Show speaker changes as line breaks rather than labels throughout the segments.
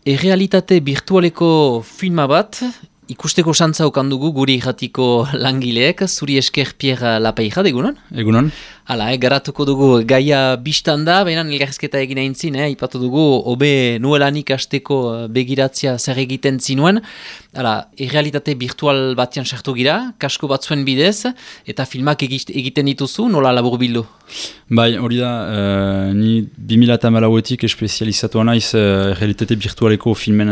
Errealitate virtualeko filma bat, ikusteko santza okan dugu guri irratiko langileek, zuri esker Pierre Lapeija, egunon?
Egunon.
Hala, garatuko dugu gaia biztan da, baina elgarrizketa egin aintzin, ipatu dugu, hobe nuelanik hasteko begiratzea zer egiten zinuen. Hala, errealitate virtual batean sartu gira, kasko batzuen bidez, eta filmak egiten dituzu, nola labur bildu?
Bai, hori da, ni 2014etik espezializatua naiz errealitate virtualeko filmen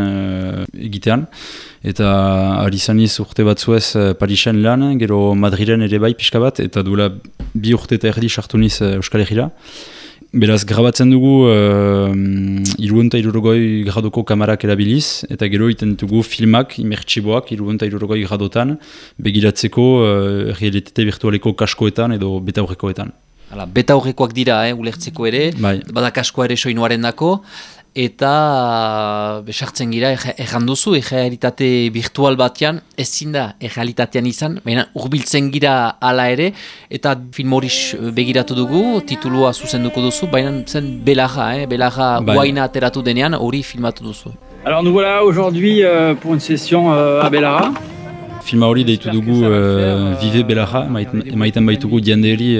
egitean, eta ari zaniz urte batzuez Parisen lan, gero Madrilen ere bai pixka bat, eta duela 2 urte eta erdi sartu niz Euskal Herrira. Beraz, grabatzen dugu 360 graduko kamarak erabiliz, eta gero iten dugu filmak, imertsiboak, 360 gradotan, begiratzeko errealitate virtualeko kaskoetan edo betaurrekoetan.
Hala, betaurrekoak dira, ulertzeko ere,
bai.
Bada kaskoa ere soinuaren dako, eta besartzen gira, erranduzu, errealitate virtual batean, ezin da errealitatean izan, baina urbiltzen gira ala ere, eta film hori begiratu dugu, titulua zuzenduko duzu, baina zen Belarra, Belarra guaina ateratu denean, hori filmatu duzu.
Alors nous voilà aujourd'hui pour une session à Belarra.
Filma hori deitu dugu Vive Belarra, emaiten baitugu jenderi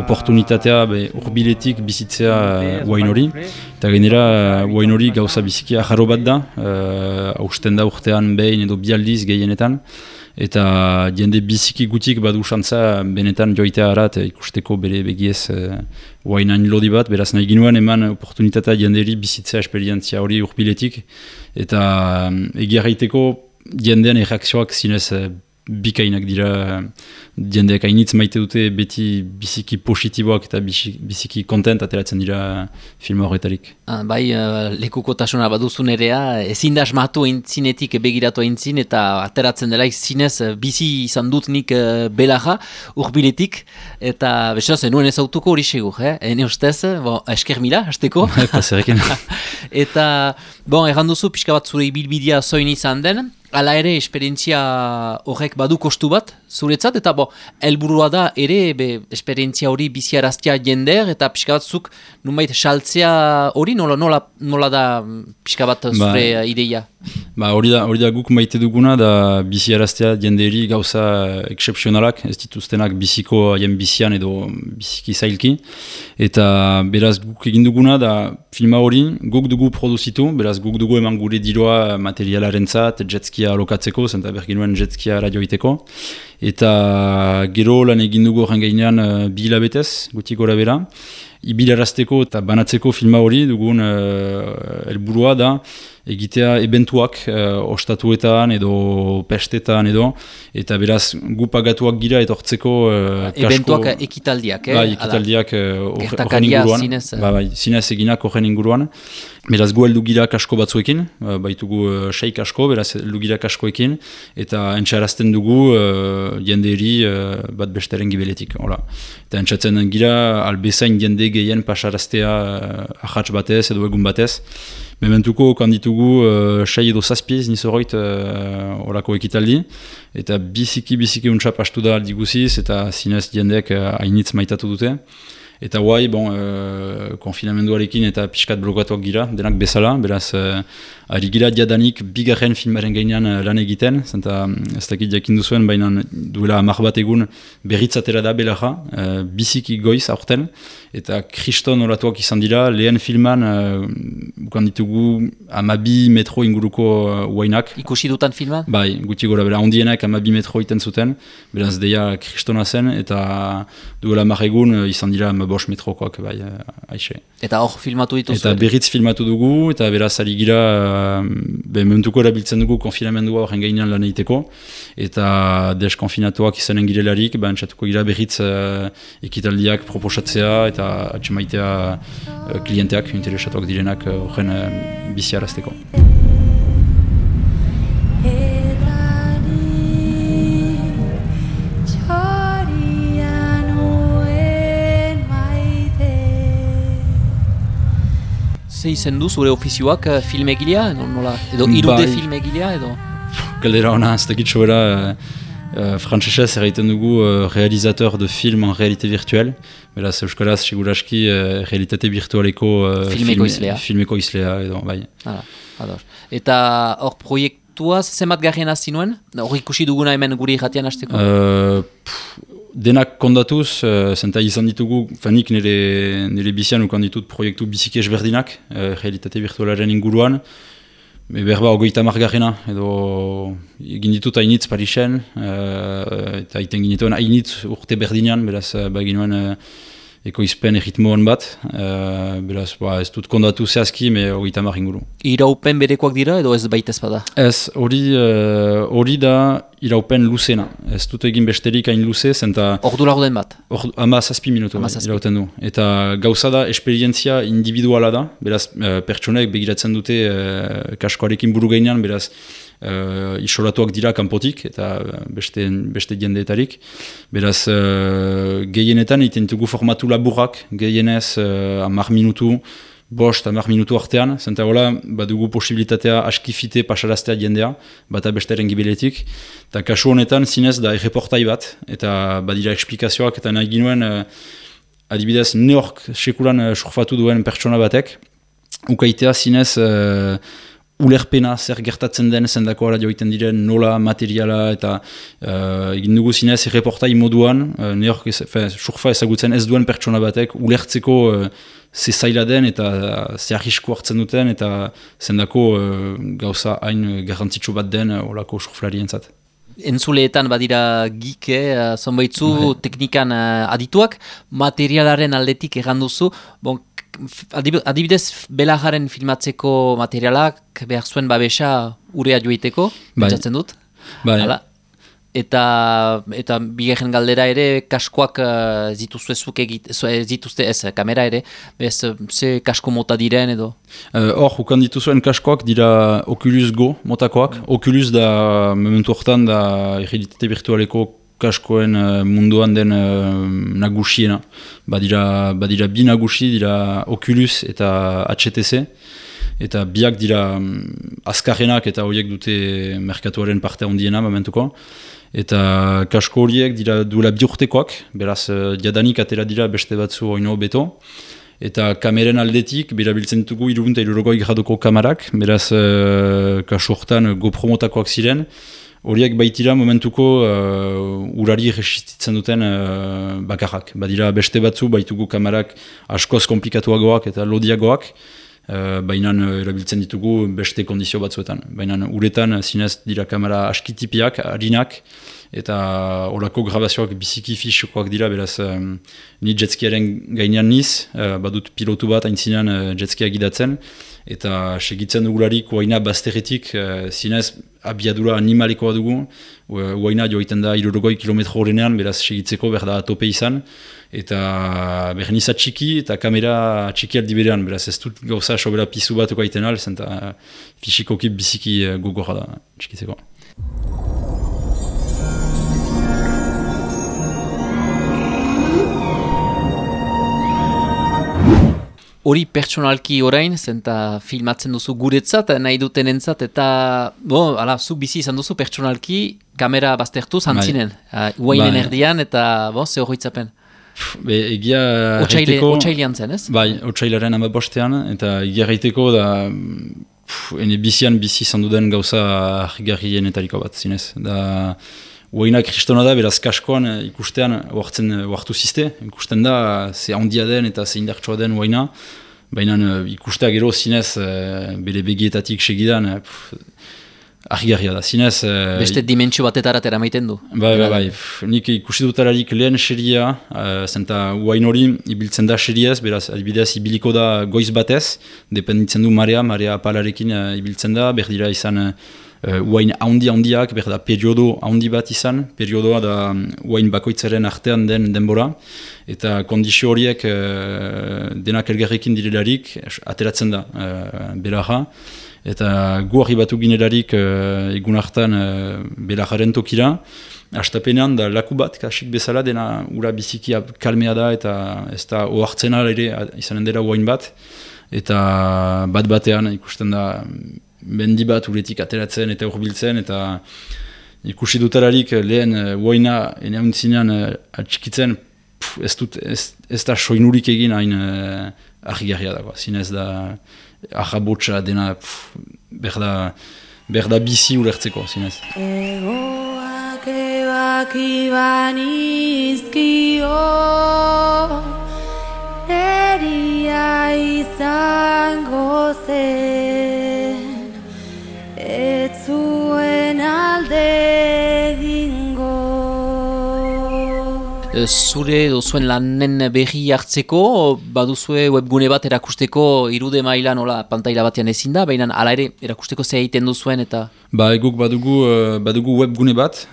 oportunitatea urbiletik bizitzea guain hori. Eta genera guain hori gauza biziki ajarro bat da, hausten da urtean behin edo bialdiz gehienetan. Eta jende biziki gutik badu xantza benetan joitea harat ikusteko bere begiez guainain lodi bat. Beraz nahi ginuen eman oportunitatea jenderi bizitzea esperientzia hori urbiletik. Eta egiarraiteko jendean erreakzioak zinez bikainak dira, jendeak hainitz maite dute beti biziki positiboak eta biziki kontent ateratzen dira filma horretarik.
Bai, lekukotasuna baduzun erea, ezin da asmatu entzinetik begiratu entzin eta ateratzen dela zinez bizi izan dut nik Belarra urbiletik, eta beraz, nuen ezautuko hori segur, ene ustez, esker mila, hasteko.
Paserekin.
Eta, erranduzu pixka bat zure ibilbidea zoin izan den, hala ere, esperientzia horrek badu kostu bat, zuretzat, eta helburua da ere, esperientzia hori biziaraztea jender, eta pixka bat zuk, nunbait, saltzea hori, nola da pixka bat zure ideia?
Hori da guk maite duguna, da biziaraztea jenderi gauza excepzionalak, ez dituztenak biziko haien bizian edo biziki zailki, eta beraz guk egin duguna, da filma hori guk dugu produzitu, beraz guk dugu eman gure diroa materialaren zat, jetskia alokatzeko, zenta berginuen jetskia radioiteko, eta gero lan egin dugu horren gainean 2 hilabetez, gutik gora bera, ibilarazteko eta banatzeko filma hori dugun helburua da egitea eventuak ostatuetan edo pestetan edo, eta beraz gu pagatuak gira etortzeko
eventuak ekitaldiak,
ekitaldiak
horren inguruan,
zinez eginak horren inguruan. Beraz gu heldu gira kasko batzuekin, baitugu 6 kasko, beraz heldu gira kaskoekin, eta entxarazten dugu jenderi bat besteren gibeletik. Eta entxatzen gira albezain jende gehien pasaraztea ahats batez edo egun batez. Mementuko kanditugu 6 edo 7 nizoroit horako ekitaldi, eta biziki untsa pastu da aldi guziz, eta zinez jendeek hainitz maitatu dute. Eta guai, konfinamenduarekin eta pixkat blokatuak gira, denak bezala, beraz, ari gira diadanik bigarren filmaren gainean lan egiten, zenta ez dakit jakin duzuen, baina duela 10 bat egun berritzatera da Belarra, biziki goiz aurten, eta kriston oratuak izan dira, lehen filman bukan ditugu 12 metro inguruko guainak.
Ikusi dutan filman?
Bai, guti gora, bera, ondienak 12 metro iten zuten, beraz deia kristona zen, eta duela 10 egun izan dira 5 metrokoak, bai, aixe.
Eta hor filmatu dituzu?
Eta berriz filmatu dugu, eta beraz ari gira, mementuko erabiltzen dugu konfinamendua horren gainean lan egiteko, eta deskonfinatuak izanen girelarik, entzatuko gira berriz ekitaldiak proposatzea, eta atxemaitea klienteak, interesatuak direnak horren biziarazteko.
Ze izen du zure ofizioak filmegilea edo 3D filmegilea edo?
Galdera ona, ez dakit sobera Frantsesez erraiten dugu realizateur de film en réalité virtuelle. Beraz, euskaraz, seguraski, realitate virtualeko filmeko izlea edo, bai.
Eta hor proiektua zemat garrien hasi nuen? Hor ikusi duguna hemen guri jatian hasteko?
Denak kondatuz, zenta izan ditugu, nik nire bizian ukan ditut proiektu biziki ezberdinak, realitate virtualaren inguruan. Berba 30 garrena, edo egin ditut hainitz Parisen, eta iten ginituen hainitz urte berdinean, beraz baginuen ekoizpen erritmoan bat, beraz ez dut kondatu zehazki, 30 inguru.
Iraupen berekoak dira edo ez baita ez bada?
Ez, hori da iraupen luzena. Ez dut egin besterik hain luze, zenta...
Ordu lagoden bat?
17 minutu irauten du. Eta gauza da, esperientzia individuala da, beraz pertsonek begiratzen dute kaskoarekin buru gainean, beraz isolatuak dira kanpotik eta beste jendeetarik. Beraz, gehienetan egiten dugu formatu laburrak, gehienez 10 minutu, 5-10 minutu artean, zenta hola, badugu posibilitatea askifite pasaraztea jendea, bata besteren gibeletik, eta kasu honetan zinez da erreportai bat, eta badira eksplikazioak, eta nahi ginuen, adibidez, neork sekulan surfatu duen pertsona batek, ukaitea zinez ulerpena zer gertatzen den zendako ara joiten diren nola, materiala, eta egin dugu zinez erreportai moduan, neork surfa ezagutzen ez duen pertsona batek, ulertzeko ze zaila den eta ze arrisku hartzen duten eta zendako gauza hain garrantzitsu bat den olako surflarientzat.
Entzuleetan badira gike, zonbaitzu teknikan adituak, materialaren aldetik erranduzu, adibidez belajaren filmatzeko materialak behar zuen babesa urea joiteko, pentsatzen dut.
Bai.
Eta bigarren galdera ere, kaskoak zituzte ez, kamera ere, ze kasko mota diren edo?
Hor, ukan dituzuen kaskoak dira Oculus Go motakoak. Oculus da, momentu hortan, da realitate virtualeko kaskoen munduan den nagusiena. Badira bi nagusi, dira Oculus eta HTC. Eta biak dira azkarrenak eta horiek dute merkatuaren parte handiena momentuko. Eta kasko horiek dira duela 2 urtekoak, beraz jadanik atera dira beste batzu oino beto. Eta kameren aldetik, berabiltzen ditugu 360 gradoko kamarak, beraz kaso hortan GoPro motakoak ziren. Horiek baitira momentuko urari resistitzen duten bakarrak. Badira beste batzu baitugu kamarak askoz komplikatuagoak eta lodiagoak, baina erabiltzen ditugu beste kondizio batzuetan. Baina uretan zinez dira kamera askitipiak, harinak, eta horako grabazioak biziki fixokoak dira, beraz ni jetskiaren gainean niz, badut pilotu bat aintzinean jetskia gidatzen, eta segitzen dugularik uaina bazterretik zinez abiadura animalikoa dugu, uaina joiten da 60 kilometro horrenean, beraz segitzeko berda tope izan, eta berniza txiki eta kamera txiki aldi berean, beraz ez dut gauza sobera pizu bat okaiten al, zenta fisikoki biziki gogorra da txikitzeko.
Hori pertsonalki orain, zenta filmatzen duzu guretzat, nahi dutenentzat, eta zu bizi izan duzu pertsonalki kamera baztertu zantzinen. Uainen erdian, eta ze horretzapen.
Egia
Otsailean zen, ez?
Bai, otsailaren 15ean, eta egia gaiteko da ene bizian bizi izan duden gauza argigarrienetariko bat zinez. Da uaina kristona da, beraz kaskoan ikustean oartu ziste, ikusten da ze handia den eta ze indartsua den uaina, baina ikustea gero zinez bere begietatik segidan argigarria da, zinez...
Beste dimentsio batetarat eramaiten du.
Bai, nik ikusi dutararik lehen seria, zenta uain hori ibiltzen da seriez, beraz adibidez ibiliko da goiz batez, dependitzen du marea apalarekin ibiltzen da, berdira izan uain handiak, berda periodo handi bat izan, periodoa da uain bakoitzaren artean den denbora, eta kondizio horiek denak elgarrekin direlarik ateratzen da belaja, eta gu arribatu ginelarik egun hartan belajaren tokira, hastapenean da laku bat, kasik bezala, dena ura biziki kalmea da, eta ez da ohartzen ere izanen dela uain bat, eta bat batean ikusten da mendi bat uretik ateratzen eta hurbiltzen, eta ikusi dutelarik lehen uoina eneauntzinean atxikitzen, ez da soinurik egin hain argigarria dago. Zinez da ahabotsa dena berda bizi ulertzeko, zinez.
Egoak ebakiban izkio, eria izango zen, ez zuen alde egingo.
Zure duzuen lanen berri hartzeko, baduzue webgune bat erakusteko irude mailan pantaila batean ezin da, baina hala ere erakusteko ze egiten duzuen eta...
Guk badugu webgune bat,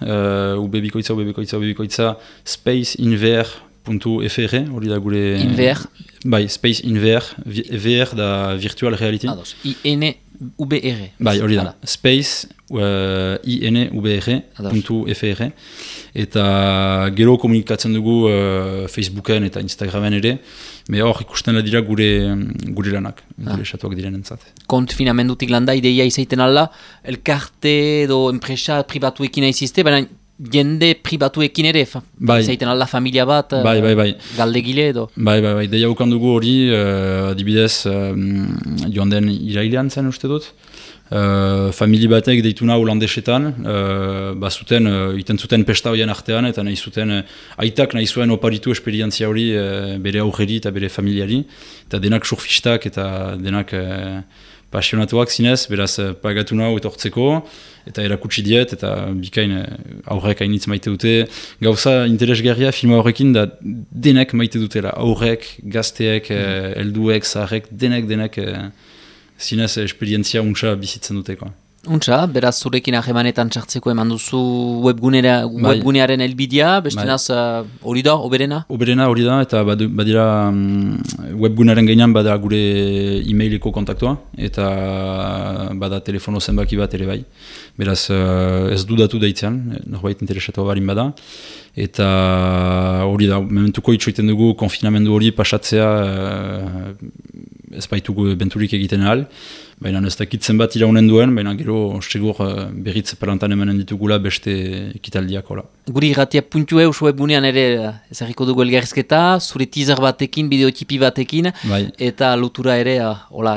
ubebikoitza, spaceinver.fr, hori da gure...
Inver?
Bai, spaceinver, VR da virtual reality.
Ados, INVR.
Hori da, space, INVR.fr, eta gero komunikatzen dugu Facebooken eta Instagramen ere, hor ikusten dira gure lanak, gure esatuak direnentzat.
Konfinamendutik landa, ideia izaiten alla, elkarte edo enpresa pribatuekin aizizte, baina jende pribatuekin ere, izaiten alla familia bat, galdegile edo.
Deia ukan dugu hori, adibidez, joan den irailean zen uste dut, famili batek deituna holandesetan, iten zuten pesta horien artean, eta aitak nahi zuen oparitu esperientzia hori bere aurreri eta bere familiari, eta denak surfistak eta denak pasionatuak zinez, beraz pagatu nahu etortzeko, eta erakutsi diet, eta bikain aurrek hainitz maite dute. Gauza interesgarria filma horrekin da denek maite dutela, aurrek, gazteek, helduek, zaharrek, denek zinez esperientzia untsa bizitzen duteko.
Untsa, beraz zurekin ahemanetan txartzeko eman duzu webgunearen elbidea, bestenaz hori da, oberena? Oberena
hori da, eta badira webgunearen gainean bada gure e-maileko kontaktua, eta bada telefono zenbaki bat ere bai. Beraz ez dudatu daitzean, norbait interesatu barin bada. Eta hori da, mementuko itxoiten dugu konfinamendu hori pasatzea ez baitugu benturik egiten ahal, baina ez dakitzen bat iraunen duen, baina gero segur berriz palantan emanen ditugula beste ekitaldiak.
Guri irratia.eus webgunean ere ezagiko dugu elgarrizketa, zure teaser batekin, bideotipi batekin, eta lotura ere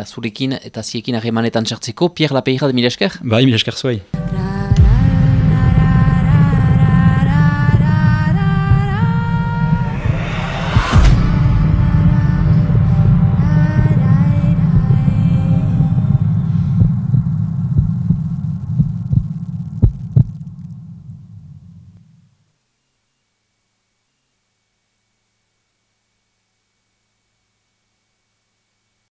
zurekin eta ziekin harremanetan txartzeko. Pierre Lapeyra, mila esker?
Mila esker zuei.